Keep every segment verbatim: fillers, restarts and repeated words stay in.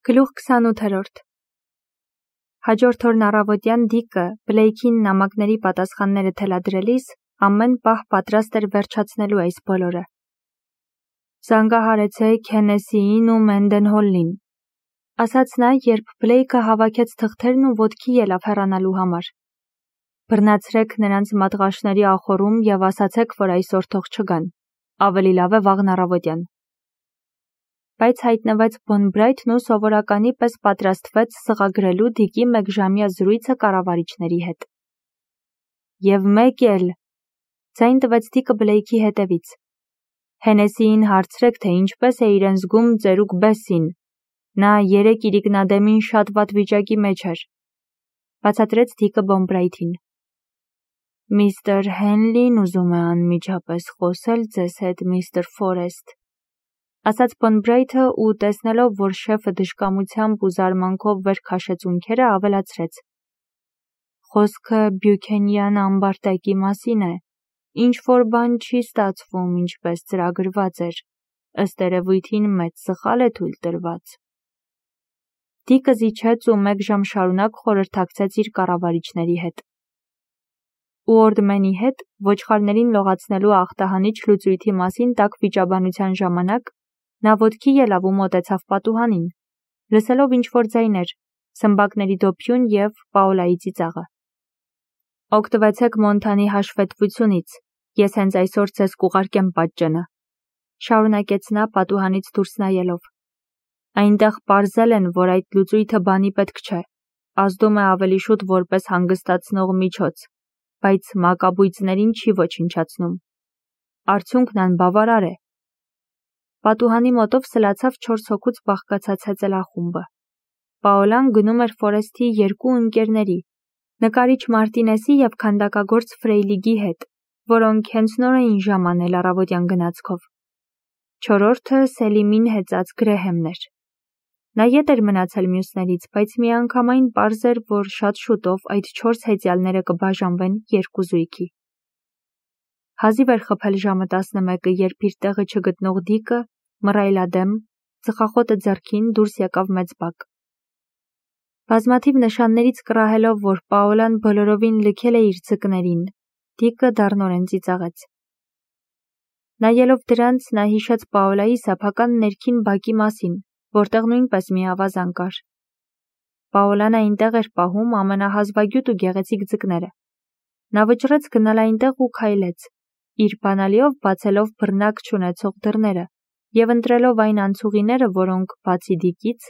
Գլուխ քսանութերորդ Հաջորդ օրն առավոտյան Դիկը Բլեյքին նամակների պատասխանները թելադրելիս ամեն պահ պատրաստ էր վերջացնելու այս բոլորը։ «Զանգահարեցեք Հենեսիին ու Մենդենհոլլին», ասաց նա, երբ Բլեյքը հավաքեց թղթերն ու ոտքի ելավ հեռանալու համար։ «Բռնացրեք նրանց մատղաշների ախոռում և ասացեք, որ այսօր թող չգան, ավելի լավ է վաղն առավոտյան»։ Բայց հայտնվեց Բոնբրայթն ու սովորականի պես պատրաստվեց սղագրելու Դիկի մեկժամյա զրույցը կառավարիչների հետ։ «Եվ մեկ էլ», ձայն տվեց Դիկը Բլեյքի հետևից, «Հենեսիին հարցրեք, թե ինչպես է իրեն զգում ծերուկ Բեսսին, նա երեկ իրիկնադեմին շատ վատ վիճակի մեջ էր», բացատրեց Դիկը Բոնբրայթին։ «Միստր Հենլին ուզում է անմիջապես խոսել ձեզ հետ, միստր Ֆորեսթ», ասաց Բոնբրայթը ու տեսնելով, որ շեֆը դժկամությամբ ու զարմանքով վեր քաշեց ունքերը, ավելացրեց. «Խոսքը Բյուքենյան ամբարտակի մասին է, ինչ-որ բան չի ստացվում, ինչպես ծրագրված էր, ըստ երևույթին մեծ սխալ է թույլ տրված»։ Դիկը զիջեց ու մեկ ժամ շարունակ խորհրդակցեց իր կառավարիչների հետ։ Ուորդմենի հետ ոչխարներին լողացնելու ախտահանիչ լուծույթի մասին տաք վիճաբանության ժամանակ նա ոտքի ելավ ու մոտեցավ պատուհանին, լսելով ինչ-որ ձայներ, սմբակների դոփյուն և Պաոլայի ծիծաղը։ «Օգտվեցեք Մոնթանի հաշվետվությունից, ես հենց այսօր ձեզ կուղարկեմ պատճենը», շարունակեց նա պատուհանից դուրս նայելով։ «Այնտեղ պարզել են, որ այդ լուծույթը բանի պետք չէ, ազդում է ավելի շուտ որպես հանգստացնող միջոց, բայց մակաբույծներին չի ոչնչացնում։ Արդյունքն անբավարար է»։ Պատուհանի մոտով սլացավ չորս հոգուց բաղկացած հեծելախումբը։ Պաոլան գնում էր Ֆորեսթի երկու ընկերների՝ նկարիչ Մարտինեսի և քանդակագործ Ֆրեյլիգի հետ, որոնք հենց նոր էին ժամանել առավոտյան գնացքով։ Չորրորդը Սելիմին հեծած Գրեհեմն էր։ Նա ետ էր մնացել մյուսներից, բայց միանգամայն պարզ էր, որ շատ շուտով այդ չորս հեծյալները կբաժանվեն երկու զույգի։ Հազիվ էր խփել ժամը տասնմեկը, երբ իր տեղը չգտնող Դիկը, մռայլադեմ, ծխախոտը ձեռքին, դուրս եկավ մեծ բակ։ Բազմաթիվ նշաններից կռահելով, որ Պաոլան բոլորովին լքել է իր ձկներին, Դիկը դառնորեն ծիծաղեց։ Նայելով դրանց, նա հիշեց Պաոլայի սեփական ներքին բակի մասին, որտեղ նույնպես մի ավազան կար։ Պաոլան այնտեղ էր պահում ամենահազվագյուտ ու գեղեցիկ ձկները։ Նա վճռեց գնալ այնտեղ ու քայլեց, իր բանալիով բացելով բռնակ չունեցող դռները և ընտրելով այն անցուղիները, որոնք, բացի Դիկից,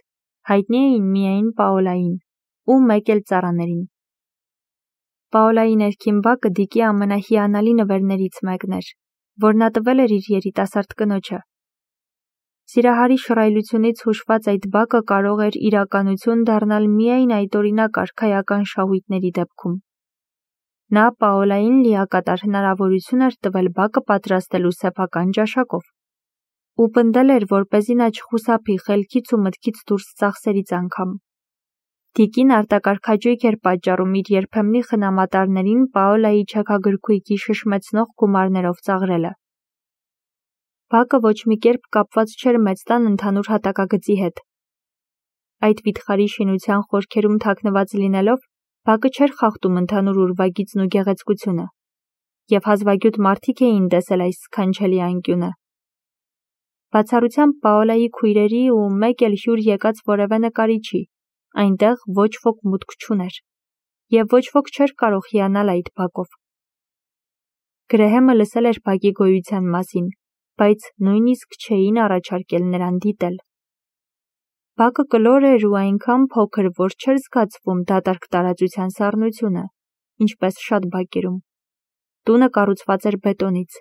հայտնի էին միայն Պաոլային ու մեկ էլ ծառաներին։ Պաոլայի ներքին բակը Դիկի ամենահիանալի նվերներից մեկն էր, որ նա տվել էր իր երիտասարդ կնոջը։ Սիրահարի շռայլությունից հուշված այդ բակը կարող էր իրականություն դառնալ միայն այդօրինակ արքայական շահույթների դեպքում։ Նա Պաոլային լիակատար հնարավորություն էր տվել բակը պատրաստելու սեփական ճաշակով ու պնդել էր, որպեսզի նա չխուսափի խելքից ու մտքից դուրս ծախսերից անգամ։ Դիկին արտակարգաճույք էր պատճառում իր երբեմնի խնամատարներին Պաոլայի չեքագրքույկի շշմեցնող գումարներով ծաղրելը։ Բակը ոչ մի կերպ կապված չէր մեծ տան ընդհանուր հատակագծի հետ։ Այդ վիթխարի շինության խորքերում թաքնված լինելով, բակը չէր խախտում ընդհանուր ուրվագիծն ու գեղեցկությունը, և հազվագյուտ մարդիկ էին տեսել այս սքանչելի անկյունը։ Բացառությամբ Պաոլայի քույրերի ու մեկ էլ հյուր եկած որևէ նկարիչի, այնտեղ ոչ ոք մուտք չուներ, և ոչ ոք չէր կարող հիանալ այդ բակով։ Գրեհեմը լսել էր բակի գոյության մասին, բայց նույնիսկ չէին առաջարկել նրան դիտել։ Բակը կլոր էր ու այնքան փոքր, որ չէր զգացվում դատարկ տարածության սառնությունը, ինչպես շատ բակերում։ Տունը կառուցված էր բետոնից,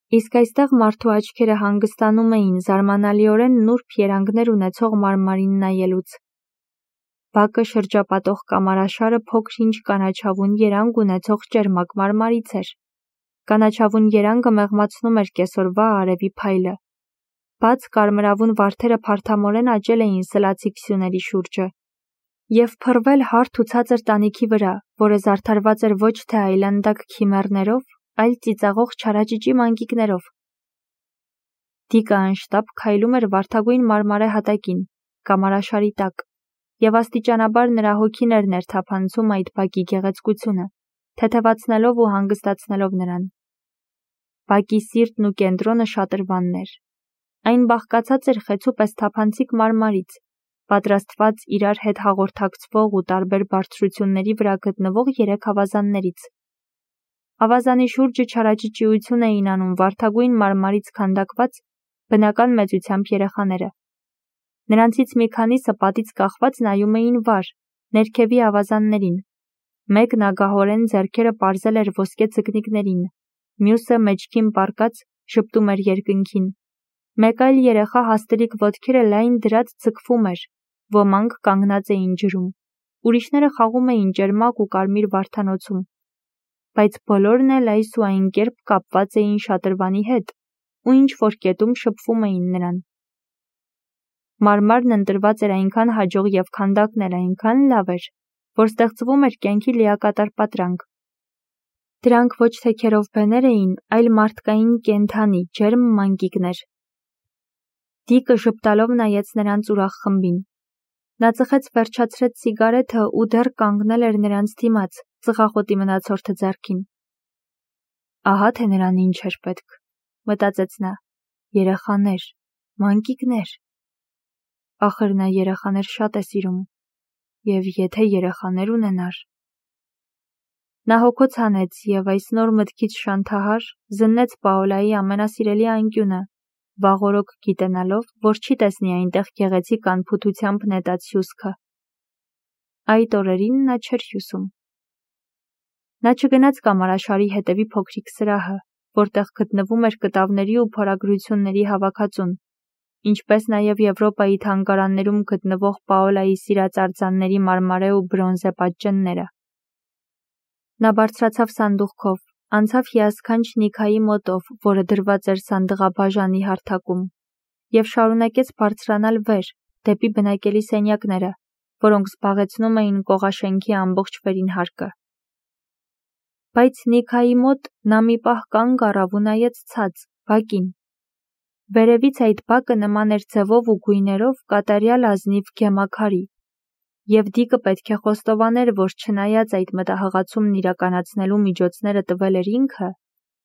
իսկ այստեղ մարդու աչքերը հանգստանում էին զարմանալիորեն նուրբ երանգներ ունեցող մարմարին նայելուց։ Բակը շրջապատող կամարաշարը փոքր-ինչ կանաչավուն երանգ ունեցող ճերմակ մարմարից էր։ Կանաչավուն երանգը մեղմացնում էր կեսօրվա արևի փայլը։ Բաց կարմրավուն վարդերը փարթամորեն աճել էին սլացիկ սյուների շուրջը և փռվել հարթ ու ցածր տանիքի վրա, որը զարդարված էր ոչ թե այլանդակ քիմեռներով, այլ ծիծաղող չարաճճի մանկիկներով։ Դիկը անշտապ քայլում էր վարդագույն մարմարե հատակին, կամարաշարի տակ, և աստիճանաբար նրա հոգին էր ներթափանցում այդ բակի գեղեցկությունը, թեթևացնելով ու հանգստացնելով նրան։ Բակի սիրտն ու կենտրոնը շատրվանն էր։ Այն բաղկացած էր խեցու պես թափանցիկ մարմարից, պատրաստված իրար հետ հաղորդակցվող ու տարբեր բարձրությունների վրա գտնվող երեք ավազաններից։ Ավազանի շուրջը չարաճճիություն էին անում վարդագույն մարմարից քանդակված բնական մեծությամբ երեխաները։ Նրանցից մի քանիսը պատից կախված նայում էին վար, ներքևի ավազաններին։ Մեկն ագահորեն ձեռքերը պարզել էր ոսկե ձկնիկներին, մյուսը մեջքին պառկած ժպտում էր երկնքին։ Մեկ այլ երեխա հաստլիկ ոտքերը լայն դրած ձգվում էր, ոմանք կանգնած էին ջրում, ուրիշները խաղում էին ճերմակ ու կարմիր վարդանոցում։ Բայց բոլորն էլ այս ու այն կերպ կապված էին շատրվանի հետ ու ինչ-որ կետում շփվում էին նրան։ Մարմարն ընտրված էր այնքան հաջող և քանդակն էլ այնքան լավ էր, որ ստեղծվում էր կյանքի լիակատար պատրանք։ Դրանք ոչ թե քերովբեներ էին, այլ մարդկային կենդանի, ջերմ մանկիկներ։ Դիկը ժպտալով նայեց նրանց ուրախ խմբին։ Նա ծխեց վերջացրեց սիգարեթը ու դեռ կանգնել էր նրանց դիմաց, ծխախոտի մնացորդը ձեռքին։ Ահա թե նրան ինչ էր պետք, մտածեց նա, երեխաներ, մանկիկներ։ Ախր նա երեխաներ շատ է սիրում, և եթե երեխաներ ունենար։ Նա հոգոց հանեց և այս նոր մտքից շանթահար զննեց Պաոլայի ամենասիրելի անկյունը, վաղօրոք գիտենալով, որ չի տեսնի այնտեղ գեղեցիկ անփութությամբ նետած հյուսքը։ Այդ օրերին նա չէր հյուսում։ Նա չգնաց կամարաշարի հետևի փոքրիկ սրահը, որտեղ գտնվում էր կտավների ու փորագրությունների հավաքածուն, ինչպես նաև Եվրոպայի թանգարաններում գտնվող Պաոլայի սիրած արձանների մարմարե ու բրոնզե պատճենները։ Նա բարձրացավ սանդուղքով, անցավ հիասքանչ Նիքայի մոտով, որը դրված էր սանդղաբաժանի հարթակում, և շարունակեց բարձրանալ վեր, դեպի բնակելի սենյակները, որոնք զբաղեցնում էին կողաշենքի ամբողջ վերին հարկը։ Բայց Նիքայի մոտ նա մի պահ կանգ առավ ու նայեց ցած, բակին։ Վերևից այդ բակը նման էր ձևով ու գույներով կատարյալ ազնիվ գեմաքարի, և Դիկը պետք է խոստովաներ, որ չնայած այդ մտահղացումն իրականացնելու միջոցները տվել էր ինքը,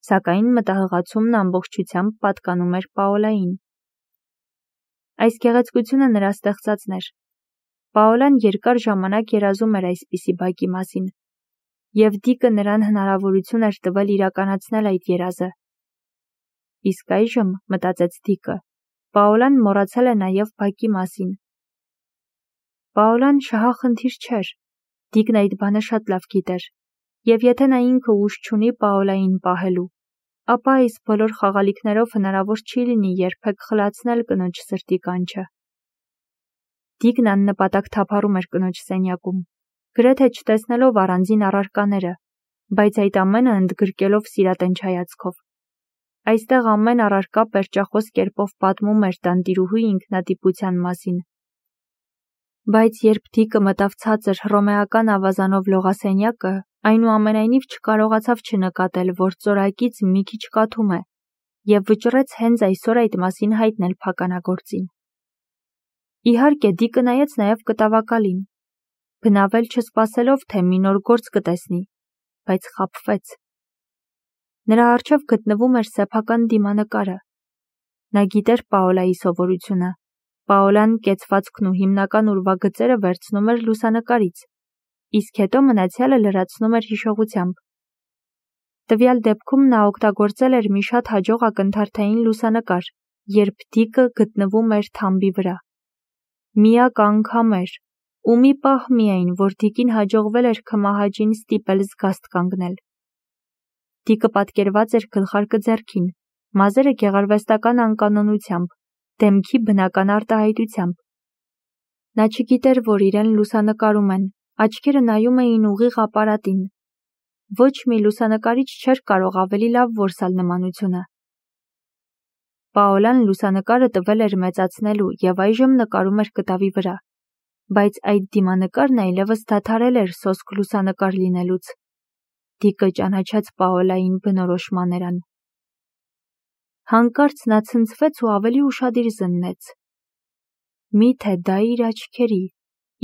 սակայն մտահղացումն ամբողջությամբ պատկանում էր Պաոլային։ Այս գեղեցկությունը նրա ստեղծածն էր։ Պաոլան երկար ժամանակ երազում էր այսպիսի բակի մասին, և Դիկը նրան հնարավորություն էր տվել իրականացնել այդ երազը։ Իսկ այժմ, մտածեց Դիկը, Պաոլան մոռացել է նաև բակի մասին։ Պաոլան շահախնդիր չէր, Դիկն այդ բանը շատ լավ գիտեր, և եթե նա ինքը ուժ չունի Պաոլային պահելու, ապա այս բոլոր խաղալիքներով հնարավոր չի լինի երբեք խլացնել կնոջ սրտի կանչը։ Դիկն աննպատակ թափառում էր կնոջ սենյակում, գրեթե չտեսնելով առանձին առարկաները, բայց այդ ամենը ընդգրկելով սիրատնչ հայացքով։ Այստեղ ամեն առարկա պերճախոս կերպով պատմում էր տանտիրուհու ինքնատիպության մասին։ Բայց երբ Դիկը մտավ ցածր հռոմեական ավազանով լողասենյակը, այնուամենայնիվ չկարողացավ չնկատել, որ ծորակից մի քիչ կաթում է, և վճռեց հենց այսօր այդ մասին հայտնել փականագործին։ Իհարկե, Դիկը նայեց նաև կտավակալին, բնավել չսպասելով, թե մի նոր գործ կտեսնի, բայց խաբվեց։ Նրա առջև գտնվում էր սեփական դիմանկարը։ Նա գիտեր Պաոլայի սովորությունը։ Պաոլան կեցվածքն ու հիմնական ուրվագծերը վերցնում էր լուսանկարից, իսկ հետո մնացյալը լրացնում էր հիշողությամբ։ Տվյալ դեպքում նա օգտագործել էր մի շատ հաջող ակնթարթային լուսանկար, երբ Դիկը գտնվում էր թամբի վրա։ Միակ անգամ էր, ու մի պահ միայն, որ Դիկին հաջողվել էր քմահաճին ստիպել զգաստ կանգնել։ Դիկը պատկերված էր գլխարկը ձեռքին, մազերը գեղարվեստական անկանոնությամբ, դեմքի բնական արտահայտությամբ։ Նա չգիտեր, որ իրեն լուսանկարում են, աչքերը նայում էին ուղիղ ապարատին։ Ոչ մի լուսանկարիչ չէր կարող ավելի լավ որսալ նմանությունը։ Պաոլան լուսանկարը տվել էր մեծացնելու և այժմ նկարում էր կտավի վրա, բայց այդ դիմանկարն այլևս դադարել էր սոսկ լուսանկար լինելուց։ Դիկը ճանաչեց Պաոլային բնորոշ մաներան։ Հանկարծ նա ցնցվեց ու ավելի ուշադիր զննեց։ Միթե դա իր աչքերի,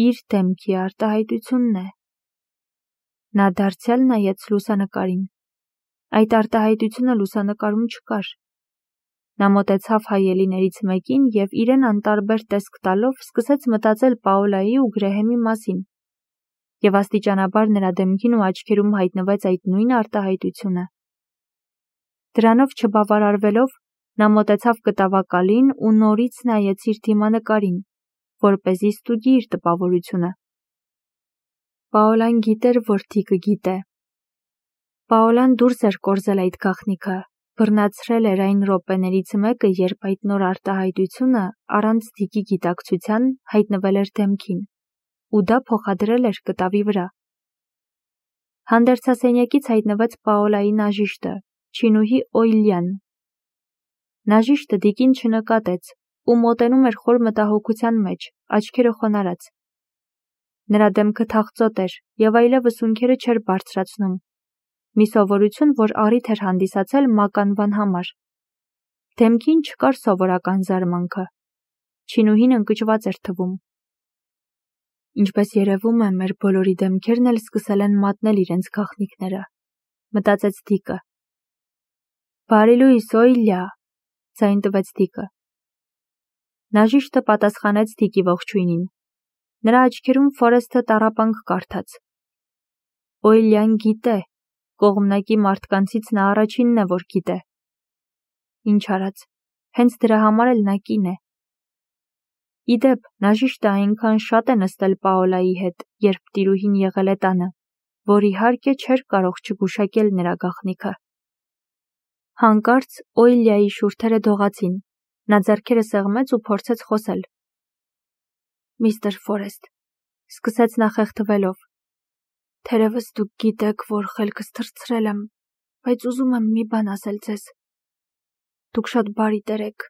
իր դեմքի արտահայտությունն է։ Նա դարձյալ նայեց լուսանկարին։ Այդ արտահայտությունը լուսանկարում չկար։ Նա մոտեցավ հայելիներից մեկին և իրեն անտարբեր տեսք տալով սկսեց մտածել Պաոլայի ու Գրեհեմի մասին, և աստիճանաբար նրա դեմքին ու աչքերում հայտնվեց այդ նույն արտահայտությունը։ Դրանով չբավարարվելով, նա մոտեցավ կտավակալին ու նորից նայեց իր դիմանկարին, որպեսզի ստուգի իր տպավորությունը։ Պաոլան գիտեր, որ Դիկը գիտե։ Պաոլան դուրս էր կորզել այդ գաղտնիքը, բռնացրել էր այն րոպեներից մեկը, երբ այդ նոր արտահայտությունը առանց Դիկի գիտակցության հայտնվել էր դեմքին, ու դա փոխադրել էր կտավի վրա։ Հանդերձասենյակից հայտնվեց Պաոլայի նաժիշտը, չինուհի Օիլյան։ Նաժիշտը Դիկին չնկատեց ու մոտենում էր խոր մտահոգության մեջ, աչքերը խոնարհած։ Նրա դեմքը թախծոտ էր և այլևս ունքերը չէր բարձրացնում, մի սովորություն, որ առիթ էր հանդիսացել մականվան համար։ Դեմքին չկար սովորական զարմանքը։ Չինուհին ընկճված էր թվում։ Ինչպես երևում է, մեր բոլորի դեմքերն էլ սկսել են մատնել իրենց գաղտնիքները, մտածեց Դիկը։ Բարի լույս, Օիլյա, ձայն տվեց Դիկը։ Նաժիշտը պատասխանեց Դիկի ողջույնին։ Նրա աչքերում Ֆորեսթը տառապանք կարդաց։ Օիլյան գիտե, կողմնակի մարդկանցից նա առաջինն է, որ գիտե։ Ինչ արած, հենց դրա համար էլ նա կին է։ Իդեպ, նաժիշտը այնքան շատ է նստել Պաոլայի հետ, երբ տիրուհին եղել է տանը, որ իհարկե չէր կարող չգուշակել նրա գաղտնիքը։ Հանկարծ Օիլյայի շուրթերը դողացին։ Նա ձեռքերը սեղմեց ու փորձեց խոսել։ Միստր Ֆորեսթ, սկսեց նա խեղդվելով, թերևս դուք գիտեք, որ խելքս թռցրել եմ, բայց ուզում եմ մի բան ասել ձեզ։ Դուք շատ բարի տեր եք,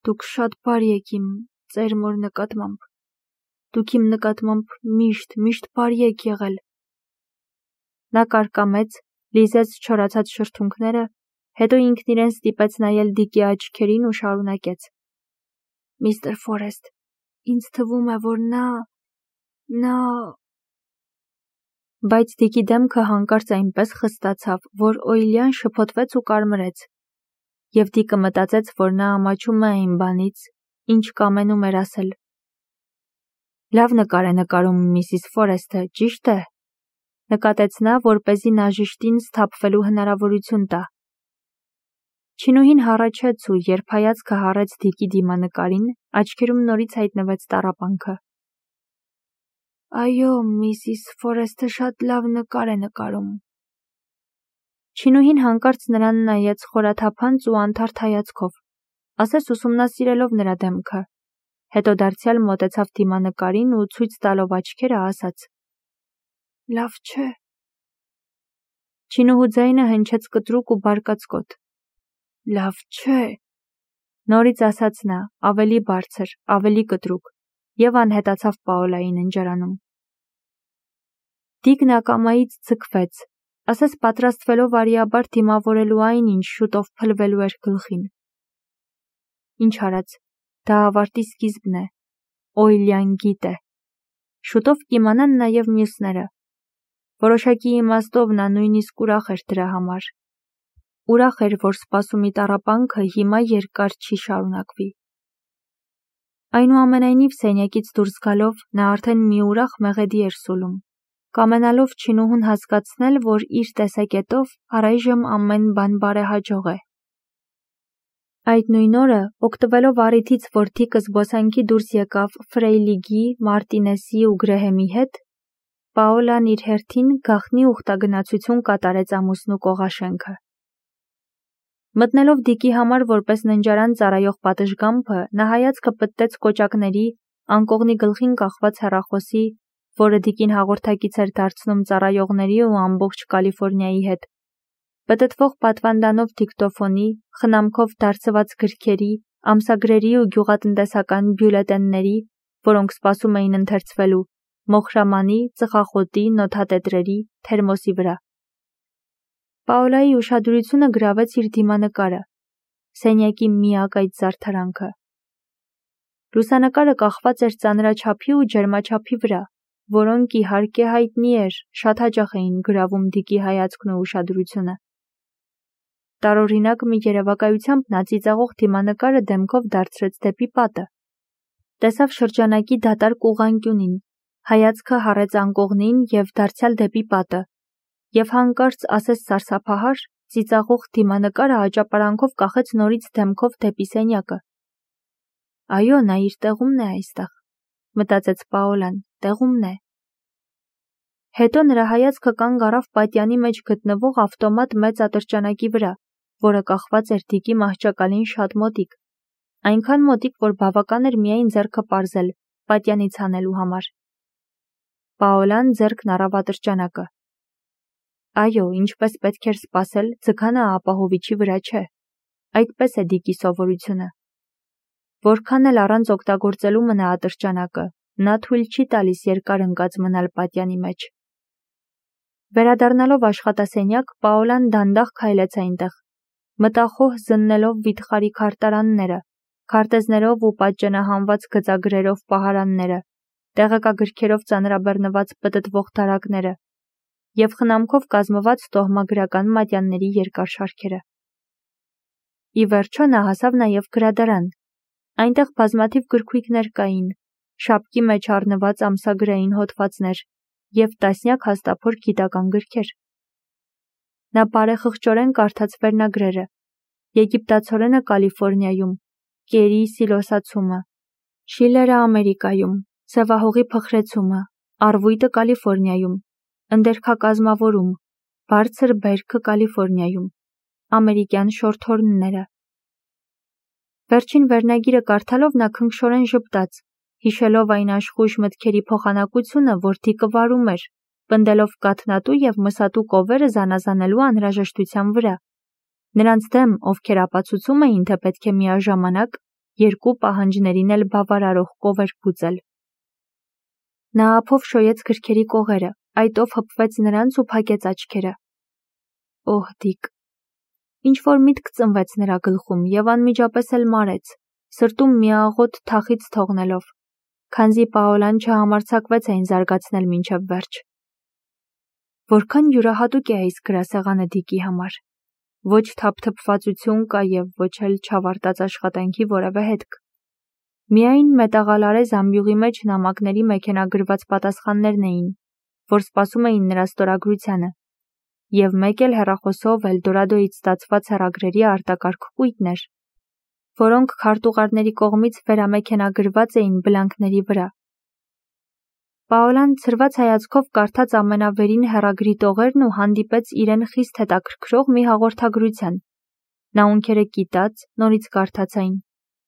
դուք շատ բարի եք իմ ծեր մոր նկատմամբ։ Դուք իմ նկատմամբ միշտ, միշտ բարի եք եղել։ Նա կարկամեց, լիզեց չորացած շրթունքները, հետո ինքն իրեն ստիպեց նայել Դիկի աչքերին ու շարունակեց. Միստր Ֆորեսթ, ինձ թվում է, որ նա… նա… Բայց Դիկի դեմքը հանկարծ այնպես խստացավ, որ Օիլյան շփոթվեց ու կարմրեց, և Դիկը մտածեց, որ նա ամաչում է այն բանից, ինչ կամենում էր ասել։ Լավ նկար է նկարում միսիս Ֆորեսթը, ճիշտ է, նկատեց նա, որպեսզի նաժիշտին սթափվելու հնարավորություն տա։ Չինուհին հառաչեց ու երբ հայացքը հառեց Դիկի դիմանկարին, աչքերում նորից հայտնվեց տառապանքը։ Այո, միսիս Ֆորեսթը շատ լավ նկար է նկարում։ Չինուհին հանկարծ նրան նայեց խորաթափանց ու անթարթ հայացքով, ասես ուսումնասիրելով նրա դեմքը, հետո դարձյալ մոտեցավ դիմանկարին ու ցույց տալով աչքերը ասաց. Լավ չէ։ Չինուհու ձայնը հնչեց կտրուկ ու բարկացկոտ։ Լավ չէ։ Նորից ասաց նա, ավելի բարձր, ավելի կտրուկ, և անհետացավ Պաոլայի ննջարանում։ Դիկն ակամայից ձգվեց, ասես պատրաստվելով արիաբար դիմավորելու այն, ինչ շուտով փլվելու էր գլխին։ Ինչ արած, դա ավարտի սկիզբն է։ Օիլյան գիտե։ Շուտով կիմանան նաև մյուսները։ Որոշակի իմաստով նա նույնիսկ ուրախ էր դրա համար։ Ուրախ էր, որ սպասումի տառապանքը հիմա երկար չի շարունակվի։ Այնուամենայնիվ սենյակից դուրս գալով նա արդեն մի ուրախ մեղեդի էր սուլում, կամենալով Չինուհուն հասկացնել, որ իր տեսակետով առայժմ ամեն բան բարեհաջող է։ Այդ նույն օրը, օգտվելով առիթից, որ Դիկը զբոսանքի դուրս եկավ Ֆրեյլիգի, Մարտինեսի ու Գրեհեմի հետ, Պաոլան իր հերթին գաղտնի ուխտագնացություն կատարեց ամուսնու կողաշենքը։ Մտնելով Դիկի համար որպես ննջարան ծառայող պատշգամբը, նա հայացքը պտտեց կոճակների, անկողնի գլխին կախված հեռախոսի, որը Դիկին հաղորդակից էր դարձնում ծառայողների ու ամբողջ Կալիֆորնիայի հետ, պտտվող պատվանդանով դիկտոֆոնի, խնամքով դարձված գրքերի, ամսագրերի ու գյուղատնտեսական բյուլետենների, որոնք սպասում էին ընթերցվելու, մոխրամանի, ծխախոտի, նոթատետրերի, թերմոսի վրա։ Պաոլայի ուշադրությունը գրավեց իր դիմանկարը, սենյակի միակ այդ զարդարանքը։ Լուսանկարը կախված էր ծանրաչափի ու ջերմաչափի վրա, որոնք իհարկե հայտնի էր, շատ հաճախ էին գրավում Դիկի հայացքն ու ուշադրությունը։ Տարօրինակ մի երևակայությամբ նա ծիծաղող դիմանկարը դեմքով դարձրեց դեպի պատը։ Տեսավ շրջանակի դատարկ ուղղանկյունին, հայացքը հառեց անկողնին և դարձյալ դեպի պատը, և հանկարծ ասես սարսափահար, ծիծաղող դիմանկարը աճապարանքով կախեց նորից դեմքով դեպի սենյակը։ Այո, նա իր տեղումն է այստեղ, մտածեց Պաոլան, տեղումն է։ Հետո նրա հայացքը կանգ առավ պատյանի մեջ գտնվող ավտոմատ մեծ ատրճանակի վրա, որը կախված էր Դիկի մահճակալին շատ մոտիկ, այնքան մոտիկ, որ բավական էր միայն ձեռքը պարզել, պատյանից հանելու համար։ Պաոլան ձեռքն առավ ատրճանակը։ Այո, ինչպես պետք էր սպասել, ձգանը ապահովիչի վրա չէ։ Այդպես է Դիկի սովորությունը։ Որքան էլ առանց օգտագործելու մնա ատրճանակը, նա թույլ չի տալիս երկար ընկած մնալ պատյանի մեջ։ Վերադառնալով աշխատասենյակ, Պաոլան դանդաղ քայլեց այնտեղ, մտախոհ զննելով վիթխարի քարտարանները, քարտեզներով ու պատճենահանված գծագրերով պահարանները, տեղեկագրքերով ծանրաբեռնված պտտվող դարակները և խնամքով կազմված տոհմագրական մատյանների երկար շարքերը։ Ի վերջո նա հասավ նաև գրադարան։ Այնտեղ բազմաթիվ գրքույկներ կային, շապկի մեջ առնված ամսագրային հոդվածներ և տասնյակ հաստափոր գիտական գրքեր։ Նա բարեխղճորեն կարդաց վերնագրերը. Եգիպտացորենը Կալիֆոռնիայում, Կերի սիլոսացումը, Շիլերը Ամերիկայում, Սևահողի փխրեցումը, Առվույտը Կալիֆոռնիայում, Ընդերքակազմավորում, Բարձր բերքը Կալիֆոռնիայում, Ամերիկյան շորթհորնները։ Վերջին վերնագիրը կարդալով նա քնքշորեն ժպտաց, հիշելով այն աշխույժ մտքերի փոխանակությունը, որ Դիկը վարում էր, պնդելով կաթնատու և մսատու կովերը զանազանելու անհրաժեշտության վրա, նրանց դեմ, ովքեր ապացուցում էին, թե պետք է միաժամանակ երկու պահանջներին էլ բավարարող կովեր բուծել։ Նա ափով շոյեց գրքերի կողերը, այտով հպվեց նրանց ու փակեց աչքերը։ Օհ, Դիկ։ Ինչ-որ միտք ծնվեց նրա գլխում և անմիջապես էլ մարեց, սրտում մի աղոտ թախիծ թողնելով, քանզի Պաոլան չհամարձակվեց այն զարգացնել մինչև վերջ։ Որքան յուրահատուկ է այս գրասեղանը Դիկի համար։ Ոչ թափթփվածություն կա և ոչ էլ չավարտած աշխատանքի որևէ հետք։ Միայն մետաղալարե զամբյուղի մեջ նամակների մեքենագրված պատասխաններն էին, որ սպասում էին նրա ստորագրությանը, և մեկ էլ հեռախոսով Էլդորադոյից ստացված հեռագրերի արտակարգ կույտներ, որոնք քարտուղարների կողմից վերամեքենագրված էին բլանքների վրա։ Պաոլան ցրված հայացքով կարդաց ամենավերին հեռագրի տողերն ու հանդիպեց իրեն խիստ հետաքրքրող մի հաղորդագրության։ Նա ունքերը կիտաց, նորից կարդաց այն,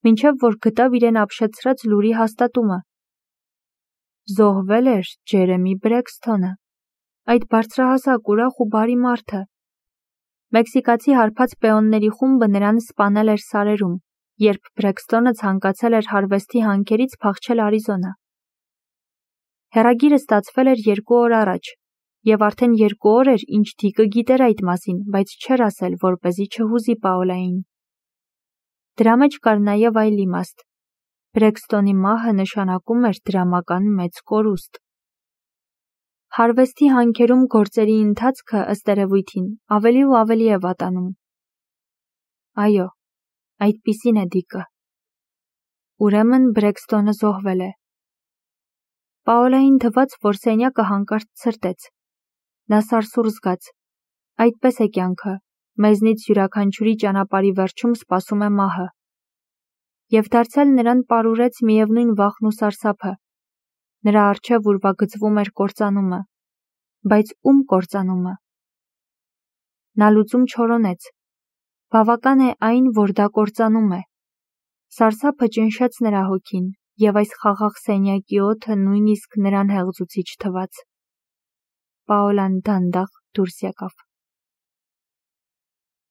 մինչև որ գտավ իրեն ապշեցրած լուրի հաստատումը։ Զոհվել էր Ջերեմի Բրեքսթոնը, այդ բարձրահասակ, ուրախ ու բարի մարդը։ Մեքսիկացի հարբած պեոնների խումբը նրան սպանել էր սարերում, երբ Բրեքսթոնը ցանկացել էր հարվեստի հանքերից փախչել Արիզոնա։ Հեռագիրը ստացվել էր երկու օր առաջ, և արդեն երկու օր էր, ինչ Դիկը գիտեր այդ մասին, բայց չէր ասել, որպեսզի չհուզի Պաոլային։ Դրա մեջ կար նաև այլ իմաստ։ Բրեքսթոնի մահը նշանակում էր դրամական մեծ կորուստ։ Հարվեստի հանքերում գործերի ընթացքը, ըստ երևույթին, ավելի ու ավելի է վատանում։ Այո, այդպիսին է Դիկը։ Ուրեմն Բրեքսթոնը զոհվել է։ Պաոլային թվաց, որ սենյակը հանկարծ ցրտեց։ Նա սարսուռ զգաց։ Այդպես է կյանքը, մեզնից յուրաքանչյուրի ճանապարհի վերջում սպասում է մահը։ Եվ դարձյալ նրան պարուրեց միևնույն վախն ու սարսափը։ Նրա առջև ուրվագծվում էր կործանումը։ Բայց ում կործանումը։ Նա լուծում չորոնեց։ Բավական է այն, որ դա կործանում է։ Սարսափը ճնշեց նրա հոգին, և այս խաղաղ սենյակի օդը նույնիսկ նրան հեղձուցիչ թվաց։ Պաոլան դանդաղ դուրս եկավ։